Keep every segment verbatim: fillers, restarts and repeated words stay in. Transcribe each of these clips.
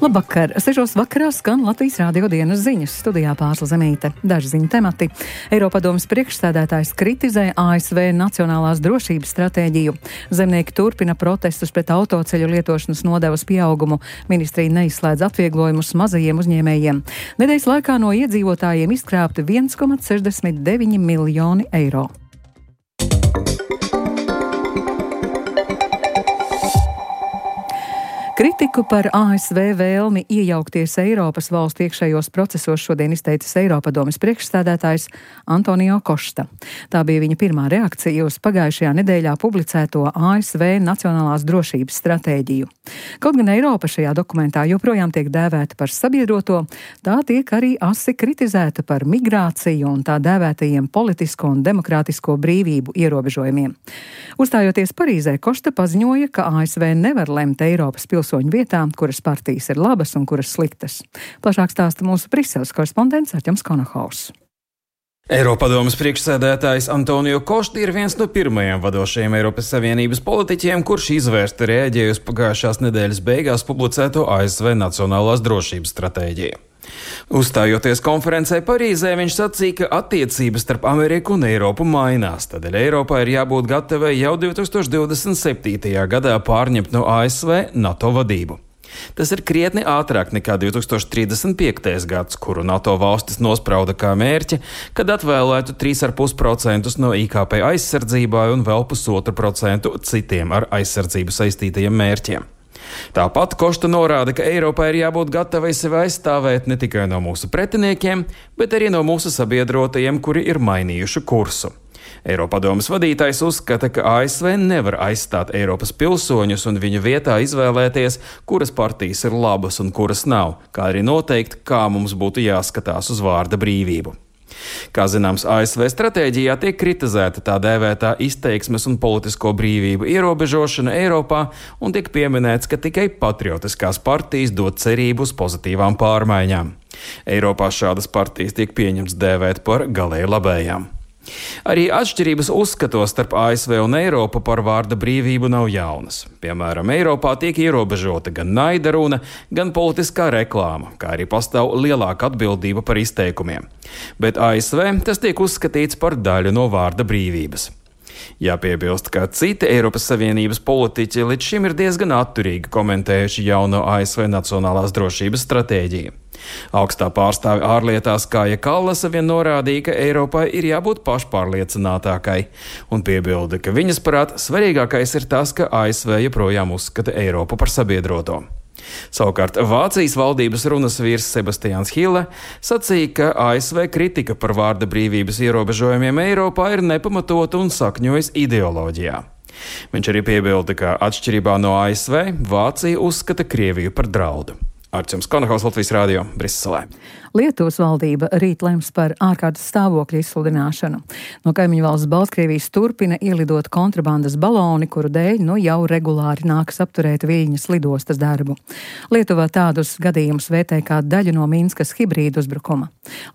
Labvakar! Sešos vakarā skan Latvijas Rādio dienas ziņas. Studijā Pārsla Zemīte. Daži ziņu temati. Eiropadomes priekšsēdētājs kritizē A S V nacionālās drošības stratēģiju. Zemnieki turpina protestus pret autoceļu lietošanas nodevas pieaugumu. Ministrija neizslēdz atvieglojumus mazajiem uzņēmējiem. Nedēļas laikā no iedzīvotājiem izkrāpti viens komats sešdesmit deviņi miljoni eiro. Kritiku par A S V vēlmi iejaukties Eiropas valstu iekšējos procesos šodien izteicis Eiropadomes priekšsēdētājs Antonio Costa. Tā bija viņa pirmā reakcija uz pagājušajā nedēļā publicēto A S V nacionālās drošības stratēģiju. Kaut gan Eiropa šajā dokumentā joprojām tiek dēvēta par sabiedroto, tā tiek arī asi kritizēta par migrāciju un tā dēvētajiem politisko un demokrātisko brīvību ierobežojumiem. Uzstājoties Parīzē, Costa paziņoja, ka A S V nevar lemt Eiropas pilsoņu vietām, kuras partijas ir labas un kuras sliktas. Plašāk stāsta mūsu Briseles korespondents Arķems Konohaus. Eiropadomes priekšsēdētājs Antonio Costa ir viens no pirmajiem vadošajiem Eiropas Savienības politiķiem, kurš izvērsti reaģēja uz pagājušās nedēļas beigās publicēto A S V nacionālās drošības stratēģiju. Uzstājoties konferencē Parīzē, viņš sacīja, ka attiecības starp Ameriku un Eiropu mainās, tādēļ Eiropā ir jābūt gatavai jau divi tūkstoši divdesmit septītajā gadā pārņemt no A S V NATO vadību. Tas ir krietni ātrāk nekā divi tūkstoši trīsdesmit piektais gads, kuru NATO valstis nosprauda kā mērķi, kad atvēlētu trīs komats pieci procenti no I K P aizsardzībai un vēl pusotru procentu citiem ar aizsardzību saistītajiem mērķiem. Tāpat Costa norāda, ka Eiropai ir jābūt gatavai sevi aizstāvēt ne tikai no mūsu pretiniekiem, bet arī no mūsu sabiedrotajiem, kuri ir mainījuši kursu. Eiropadomes vadītājs uzskata, ka A S V nevar aizstāt Eiropas pilsoņus un viņu vietā izvēlēties, kuras partijas ir labas un kuras nav, kā arī noteikt, kā mums būtu jāskatās uz vārda brīvību. Kā zināms, A S V stratēģijā tiek kritizēta tā dēvētā izteiksmes un politisko brīvību ierobežošana Eiropā un tiek pieminēts, ka tikai patriotiskās partijas dod cerību uz pozitīvām pārmaiņām. Eiropā šādas partijas tiek pieņemts dēvēt par galēji labējām. Arī atšķirības uzskatos starp A S V un Eiropu par vārda brīvību nav jaunas. Piemēram, Eiropā tiek ierobežota gan naida runa, gan politiskā reklāma, kā arī pastāv lielāka atbildība par izteikumiem. Bet A S V tas tiek uzskatīts par daļu no vārda brīvības. Jāpiebilst, ka citi Eiropas Savienības politiķi līdz šim ir diezgan atturīgi komentējuši jauno A S V nacionālās drošības stratēģiju. Augstā pārstāve ārlietās Kaja Kallasa vien norādīja, ka Eiropai ir jābūt pašpārliecinātākai, un piebilda, ka viņas prāt svarīgākais ir tas, ka A S V joprojām uzskata Eiropu par sabiedroto. Savukārt Vācijas valdības runas vīrs Sebastians Hille sacīja, ka A S V kritika par vārda brīvības ierobežojumiem Eiropā ir nepamatota un sakņojas ideoloģijā. Viņš arī piebilda, ka atšķirībā no A S V Vācija uzskata Krieviju par draudu. Arķems Konohaus, Latvijas Rādio, Briselē. Lietuvas valdība rīt lems par ārkārtas stāvokļa izsludināšanu. No kaimiņu valsts Baltkrievijas turpina ielidot kontrabandas baloni, kuru dēļ nu jau regulāri nākas apturēt Viļņas lidostas darbu. Lietuvā tādus gadījumus vērtē kā daļu no Minskas hibrīdu uzbrukuma.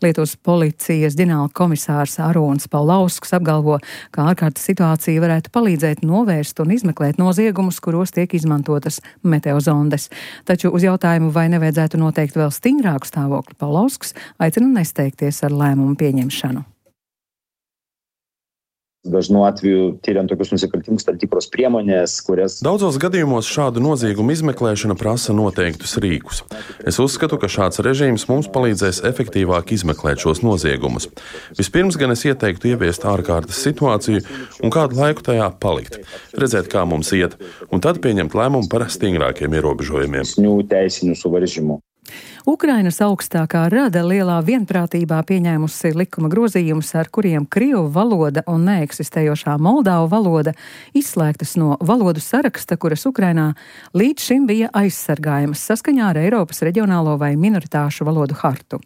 Lietuvas policijas ģenerāla komisārs Arūns Paulausks apgalvo, ka ārkārtas situācija varētu palīdzēt novērst un izmeklēt noziegumus, kuros tiek izmantotas meteozondes. Taču uz jautājumu, vai nevajadzētu noteikt vēl stingrāku stāvokli, Paulausks aicina nesteigties ar lēmumu pieņemšanu. Dažnu atveju tyriant tokius nusikaltimus tam tikros priemonės, kurias... Daudzos gadījumos šādu noziegumu izmeklēšana prasa noteiktus rīkus. Es uzskatu, ka šāds režīms mums palīdzēs efektīvāk izmeklēt šos noziegumus. Vispirms gan es ieteiktu ieviest ārkārtas situāciju un kādu laiku tajā palikt, redzēt, kā mums iet, un tad pieņemt lēmumu par stingrākiem ierobežojumiem. Ukrainas augstākā rada lielā vienprātībā pieņēmusi likuma grozījumus, ar kuriem krievu valoda un neeksistējošā moldāvu valoda izslēgtas no valodu saraksta, kuras Ukrainā līdz šim bija aizsargājamas saskaņā ar Eiropas reģionālo vai minoritāšu valodu hartu.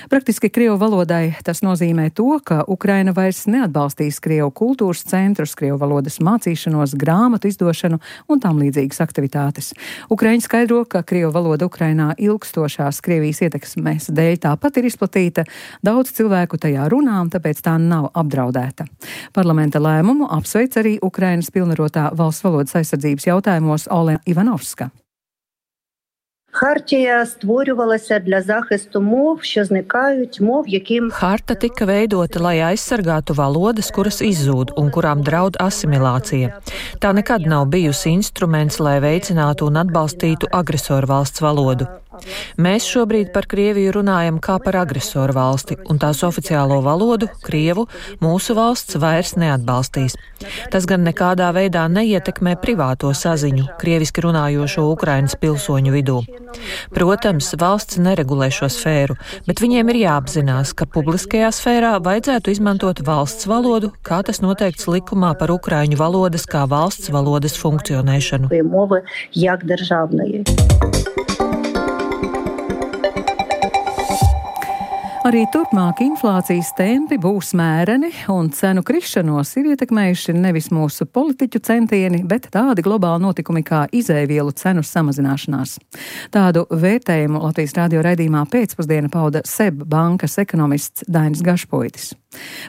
Praktiski krievu valodai tas nozīmē to, ka Ukraina vairs neatbalstīs krievu kultūras centrus, krievu valodas mācīšanos, grāmatu izdošanu un tam līdzīgas aktivitātes. Ukraiņi skaidro, ka krievu valoda Ukrainā ilgstošās Krievijas ietekmes dēļ tāpat ir izplatīta, daudz cilvēku tajā runā, tāpēc tā nav apdraudēta. Parlamenta lēmumu apsveic arī Ukrainas pilnvarotā valsts valodas aizsardzības jautājumos Olena Ivanovska. Хартія створювалася для захисту мов, що зникають, мов, яким... Harta tika veidota, lai aizsargātu valodas, kuras izzūd un kurām draud asimilācija. Tā nekad nav bijusi instruments, lai veicinātu un atbalstītu agresoru valsts valodu. Mēs šobrīd par Krieviju runājam kā par agresoru valsti, un tās oficiālo valodu, krievu, mūsu valsts vairs neatbalstīs. Tas gan nekādā veidā neietekmē privāto saziņu krieviski runājošo Ukrainas pilsoņu vidū. Protams, valsts neregulē šo sfēru, bet viņiem ir jāapzinās, ka publiskajā sfērā vajadzētu izmantot valsts valodu, kā tas noteikts likumā par ukraiņu valodas kā valsts valodas funkcionēšanu. Мови як державної. Arī turpmāk inflācijas tempi būs mēreni, un cenu krišanos ir ietekmējuši nevis mūsu politiķu centieni, bet tādi globāli notikumi kā izēvielu cenu samazināšanās. Tādu vērtējumu Latvijas radio raidījumā pēcpusdiena pauda S E B bankas ekonomists Dainis Gašpuitis.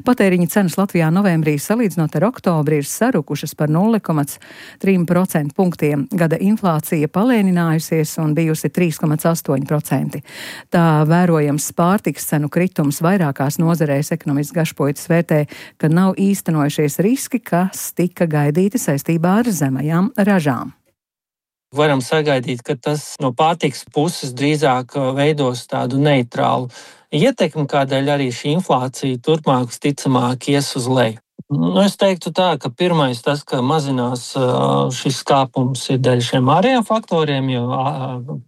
Patēriņa cenas Latvijā novembrī salīdzinot ar oktobri ir sarukušas par nulle komats trīs procentu punktiem. Gada inflācija palēninājusies un bijusi trīs komats astoņi procenti. Tā vērojams pārtikas cenu kritums vairākās nozarēs ekonomists Gašpuitis vērtē, ka nav īstenojušies riski, kas tika gaidīti saistībā ar zemajām ražām. Varam sagaidīt, ka tas no pārtikas puses drīzāk veidos tādu neitrālu ietekmi, kādēļ arī šī inflācija turpmāk visticamāk ies uz leju. Nu, es teiktu tā, ka pirmais tas, ka mazinās šis kāpums ir dēļ šiem ārējiem faktoriem, jo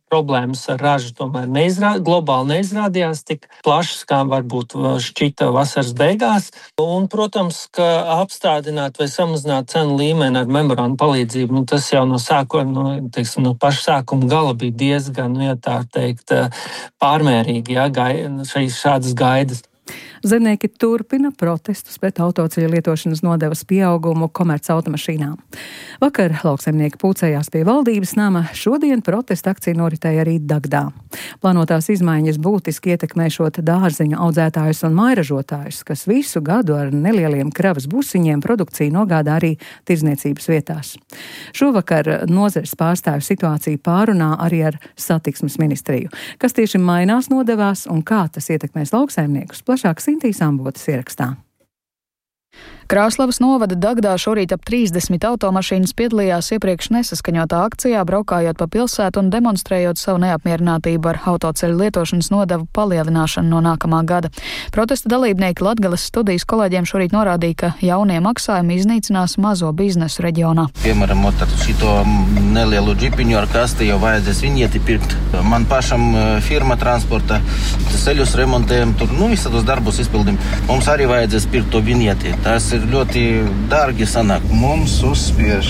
problēmas ar ražu tomēr neizrā, globāli neizrādījās tik plašas, kā varbūt šķita vasaras beigās. Un, protams, ka apstādināt vai samazināt cenu līmeni ar memorandu palīdzību, nu, tas jau no sākuma, nu, teiksim, no paša sākuma gala bija diezgan, nu, ja tā teikt, pārmērīgi, ja, gai, šādas gaidas. Zemnieki turpina protestus pret autoceļu lietošanas nodevas pieaugumu komerc automašīnām. Vakar lauksaimnieki pulcējās pie valdības nama, šodien protesta akcija noritēja arī Dagdā. Plānotās izmaiņas būtiski ietekmēšot dārzeņu audzētājus un mairažotājus, kas visu gadu ar nelieliem kravas busiņiem produkciju nogādā arī tirdzniecības vietās. Šovakar nozares pārstāvju situāciju pārunā arī ar satiksmes ministriju. Kas tieši mainās nodevās un kā tas ietekmēs lauksaimniekus? Plašāk Sintīs Ambotas ierakstā. Krāslavas novada Dagdā šorīt ap trīsdesmit automašīnas piedalījās iepriekš nesaskaņotā akcijā, braukājot pa pilsētu un demonstrējot savu neapmierinātību ar autoceļu lietošanas nodevu palielināšanu no nākamā gada. Protesta dalībnieki Latgales studijas kolēģiem šorīt norādīja, ka jaunie maksājumi iznīcinās mazo biznesu reģionā. Piemēram, ar šito nelielu džipiņu ar kasti jau vajadzēs viņieti pirkt. Man pašam firma transporta ceļus remontējam, tur, nu, visus darbus izpildim. Mums arī vajadzēs pirkt to viņieti. Tas ir ļoti dārgi sanāk. Mums uzspiež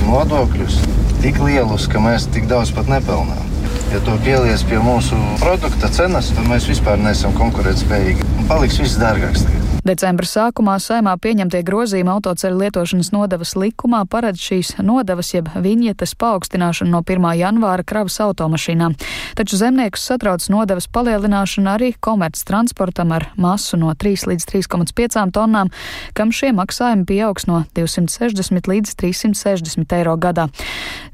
nodokļus tik lielus, ka mēs tik daudz pat nepelnām. Ja to pielies pie mūsu produkta cenas, tad mēs vispār neesam konkurētspējīgi. Un paliks viss dārgāks tagad. Decembra sākumā Saeimā pieņemtie grozījumi autoceļu lietošanas nodevas likumā paredz šīs nodevas jeb viņietes paaugstināšanu no pirmā janvāra kravas automašīnām. Taču zemniekus satrauc nodevas palielināšana arī komerc transportam ar masu no trīs līdz trīs komats pieci tonnām, kam šie maksājumi pieaugs no divsimt sešdesmit līdz trīssimt sešdesmit eiro gadā.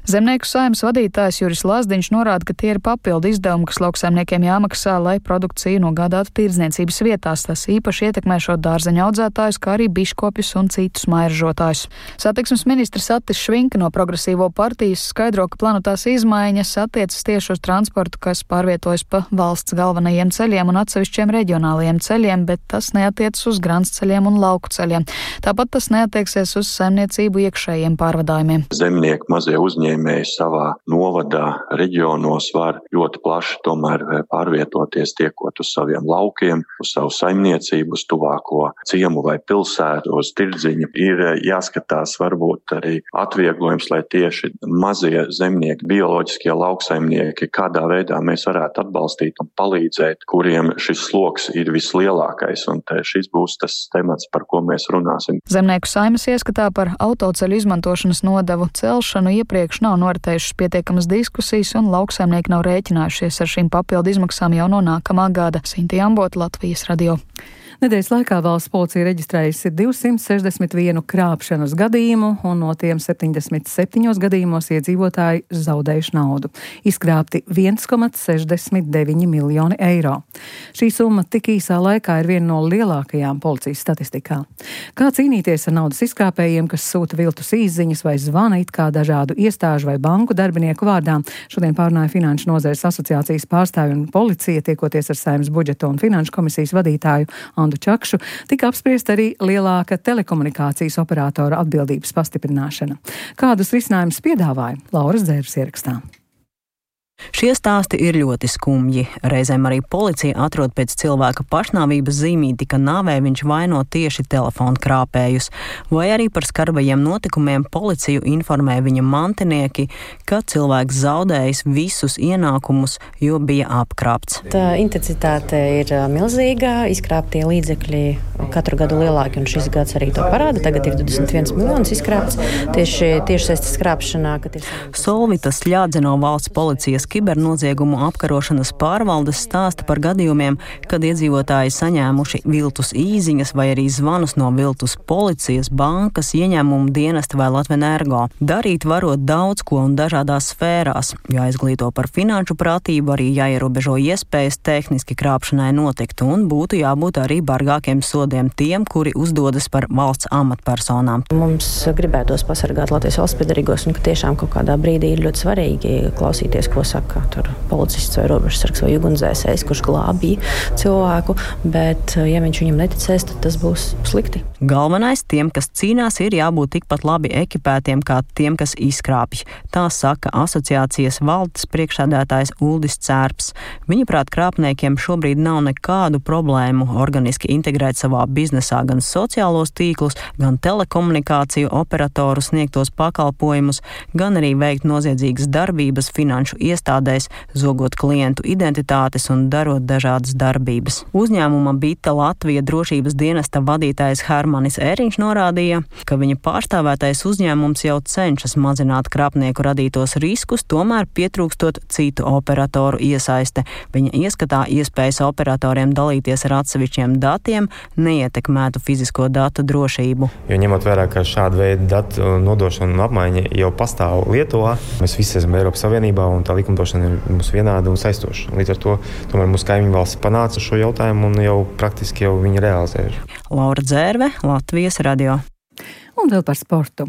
Zemnieku saeimas vadītājs Juris Lazdiņš norāda, ka tie ir papildu izdevumi, kas lauksaimniekiem jāmaksā, lai produkciju nogādātu tirdzniecības vietās. Tas īpaši ietekmēšot dārzeņu audzētājus, kā arī biškopjus un citus mairažotājus. Satiksmes ministrs Atis Švinka no Progresīvo partijas skaidro, ka plānotās izmaiņas attiecas tieši uz transportu, kas pārvietojas pa valsts galvenajiem ceļiem un atsevišķiem reģionālajiem ceļiem, bet tas neatiecas uz gruntsceļiem un lauku ceļiem. Tāpat tas neatieksies uz saimniecību iekšējiem pārvadājumiem. Zemnieki, mazie uzņēmēji savā novadā, reģionos var ļoti plaši tomēr pārvietoties, tiekot uz saviem laukiem, uz savu saimniecību, uz tuvāko ciemu vai pilsētu, uz tirdziņu. Ir jāskatās varbūt arī atvieglojums, lai tieši mazie zemnieki, bioloģiskie lauksaimnieki, kādā veidā mēs varētu atbalstīt un palīdzēt, kuriem šis sloks ir vislielākais. Un šis būs tas temats, par ko mēs runāsim. Zemnieku saimas ieskatā par autoceļu izmantošanas nodevu celšanu iepriekš nav noritējušas pietiekamas diskusijas un lauksaimnieki nav rēķinājušies ar šīm papildu izmaksām jau no nākamā gada. Sintī Ambota, Latvijas radio. Nedēļas laikā valsts policija reģistrējusi divsimt sešdesmit vienu krāpšanas gadījumu, un no tiem septiņdesmit septiņos gadījumos iedzīvotāji zaudējuši naudu. Izkrāpti viens komats sešdesmit deviņi miljoni eiro. Šī summa tik īsā laikā ir viena no lielākajām policijas statistikā. Kā cīnīties ar naudas izkrāpējiem, kas sūta viltus īsziņas vai zvana it kā dažādu iestāžu vai banku darbinieku vārdā? Šodien pārunāja Finanšu nozares asociācijas pārstāvi un policija, tiekoties ar Saeimas budžeta un finanšu komisijas vadītāju Andu Čakšu, tika apspriest arī lielāka telekomunikācijas operatora atbildības pastiprināšana. Kādus risinājumus piedāvāja Lauras Dzērbes ierakstā? Šie stāsti ir ļoti skumji. Reizēm arī policija atrod pēc cilvēka pašnāvības zīmīti, ka nāvē viņš vaino tieši telefonu krāpējus, vai arī par skarbajiem notikumiem policiju informē viņa mantinieki, ka cilvēks zaudējis visus ienākumus, jo bija apkrāpts. Tā intensitāte ir milzīga, izkrāptie līdzekļi katru gadu lielāki, un šis gads arī to parāda. Tagad ir divdesmit viens miljonus izkrāpts tieši tiešsaistes krāpšanā. Ir... Solvitas Ļādzeno valsts policijas kibernoziegumu apkarošanas pārvaldes stāsta par gadījumiem, kad iedzīvotāji saņēmuši viltus īziņas vai arī zvanus no viltus policijas, bankas, ieņēmumu dienesta vai Latvenergo. Darīt varot daudz ko un dažādās sfērās. Jāizglīto par finanšu pratību, arī jāierobežo iespējas tehniski krāpšanai notikt, un būtu jābūt arī bargākiem sodiem tiem, kuri uzdodas par valsts amatpersonām. Mums gribētos pasargāt Latvijas valsts piedarīgos, un ka tiešām kaut kādā brīdī ir ļoti svarīgi klausīties, ko saka tur policists vai robežsargs vai ugunsdzēsējs, kurš glābīja cilvēku, bet ja viņš viņam neticēs, tad tas būs slikti. Galvenais tiem, kas cīnās, ir jābūt tikpat labi ekipētiem kā tiem, kas izkrāpj. Tā saka asociācijas valdes priekšsēdētājs Uldis Cērps. Viņaprāt, krāpniekiem šobrīd nav nekādu problēmu organiski integrēt savā biznesā gan sociālos tīklus, gan telekomunikāciju operatoru sniegtos pakalpojumus, gan arī veikt noziedzīgas darbības finanšu iestādēs, zogot klientu identitātes un darot dažādas darbības. Uzņēmuma Bita Latvija drošības dienesta vadītājs Hermanis Ēriņš norādīja, ka viņa pārstāvētais uzņēmums jau cenšas mazināt krāpnieku radītos riskus, tomēr pietrūkstot citu operatoru iesaiste. Viņa ieskatā iespējas operatoriem dalīties ar atsevišķiem datiem neietekmētu fizisko datu drošību. Jo ņemot vērā, ka šāda veida datu nodošana un apmaiņa jau pastāv Lietuvā, mēs visi esam Eiropas Savienībā un tā likumdošana ir mums vienāda un saistoša. Līdz ar to tomēr mūsu kaimiņu valsts panāca šo jautājumu un jau praktiski jau viņi realizē. Laura Dzērve, Latvijas radio. Un vēl par sportu.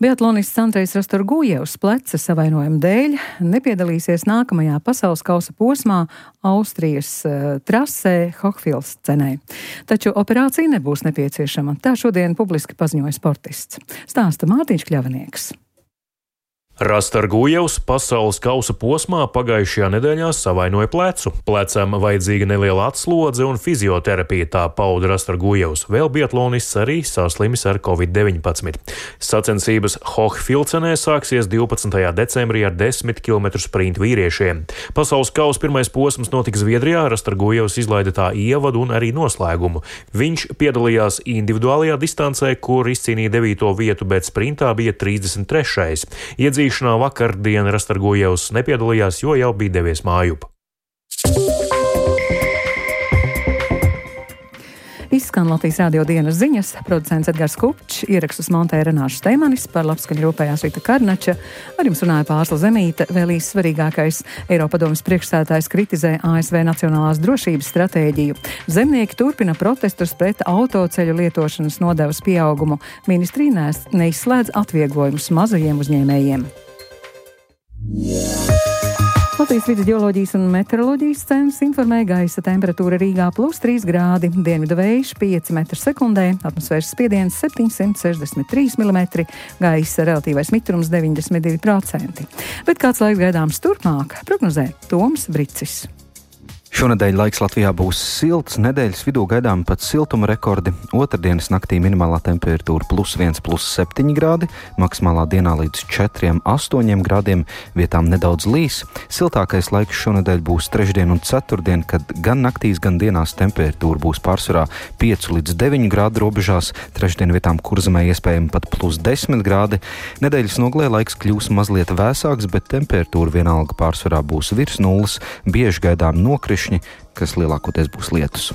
Biatlonists Andrejs Rastorgujevs pleca savainojuma dēļ nepiedalīsies nākamajā pasaules kausa posmā Austrijas uh, trasē Hochfilzenē. Taču operācija nebūs nepieciešama. Tā šodien publiski paziņoja sportists. Stāsta Mārtiņš Kļavinieks. Rastorgujevs pasaules kausa posmā pagājušajā nedēļā savainoja plecu. Plecam vajadzīga neliela atslodze un fizioterapija, tā pauda Rastorgujevs. Vēl biatlonists arī saslimis ar covid deviņpadsmit. Sacensības Hochfilzenē sāksies divpadsmitajā decembrī ar desmit kilometru sprintu vīriešiem. Pasaules kausa pirmais posms notika Zviedrijā, Rastorgujevs izlaida tā ievadu un arī noslēgumu. Viņš piedalījās individuālajā distancē, kur izcīnīja devīto vietu, bet sprintā bija trīsdesmit trešais. Iedzīšanā vakardien Rastorgujevs nepiedalījās, jo jau bija devies mājup. Izskan Latvijas radio dienas ziņas, producents Edgars Kupčs, ierakstus montēja Renāša Steimanis, par labskaņu rūpējās Rita Karnača, ar jums runāja Pārsla Zemīte. Vēl īsi svarīgākais: Eiropadomes priekšsēdētājs kritizē A S V nacionālās drošības stratēģiju. Zemnieki turpina protestus pret autoceļu lietošanas nodevas pieaugumu. Ministrija neizslēdz atvieglojumus mazajiem uzņēmējiem. Latvijas vidus ģeoloģijas un meteoroloģijas centrs informē, gaisa temperatūra Rīgā plus trīs grādi, dienvidu vējš pieci metri sekundē, atmosfēras spiediens septiņsimt sešdesmit trīs milimetri, gaisa relatīvais mitrums deviņdesmit divi procenti. Bet kāds laiks gaidāms turpmāk, prognozē Toms Bricis. Šonedēļ laiks Latvijā būs silts, nedēļas vidū gaidām pat siltuma rekordi. Otrdienas naktī minimālā temperatūra plus viens, plus septiņi grādi, maksimālā dienā līdz četriem, astoņiem grādiem, vietām nedaudz līs. Siltākais laiks šonedēļ būs trešdien un ceturtdien, kad gan naktīs, gan dienās temperatūra būs pārsvarā pieci līdz deviņi grādi robežās, trešdien vietām Kurzemē iespējami pat plus desmit grādi. Nedēļas nogalē laiks kļūs mazliet vēsāks, bet temperatūra vienalga pārsvarā būs virs nulles, bieži gaidām nokrišņi, kas lielākoties būs lietus.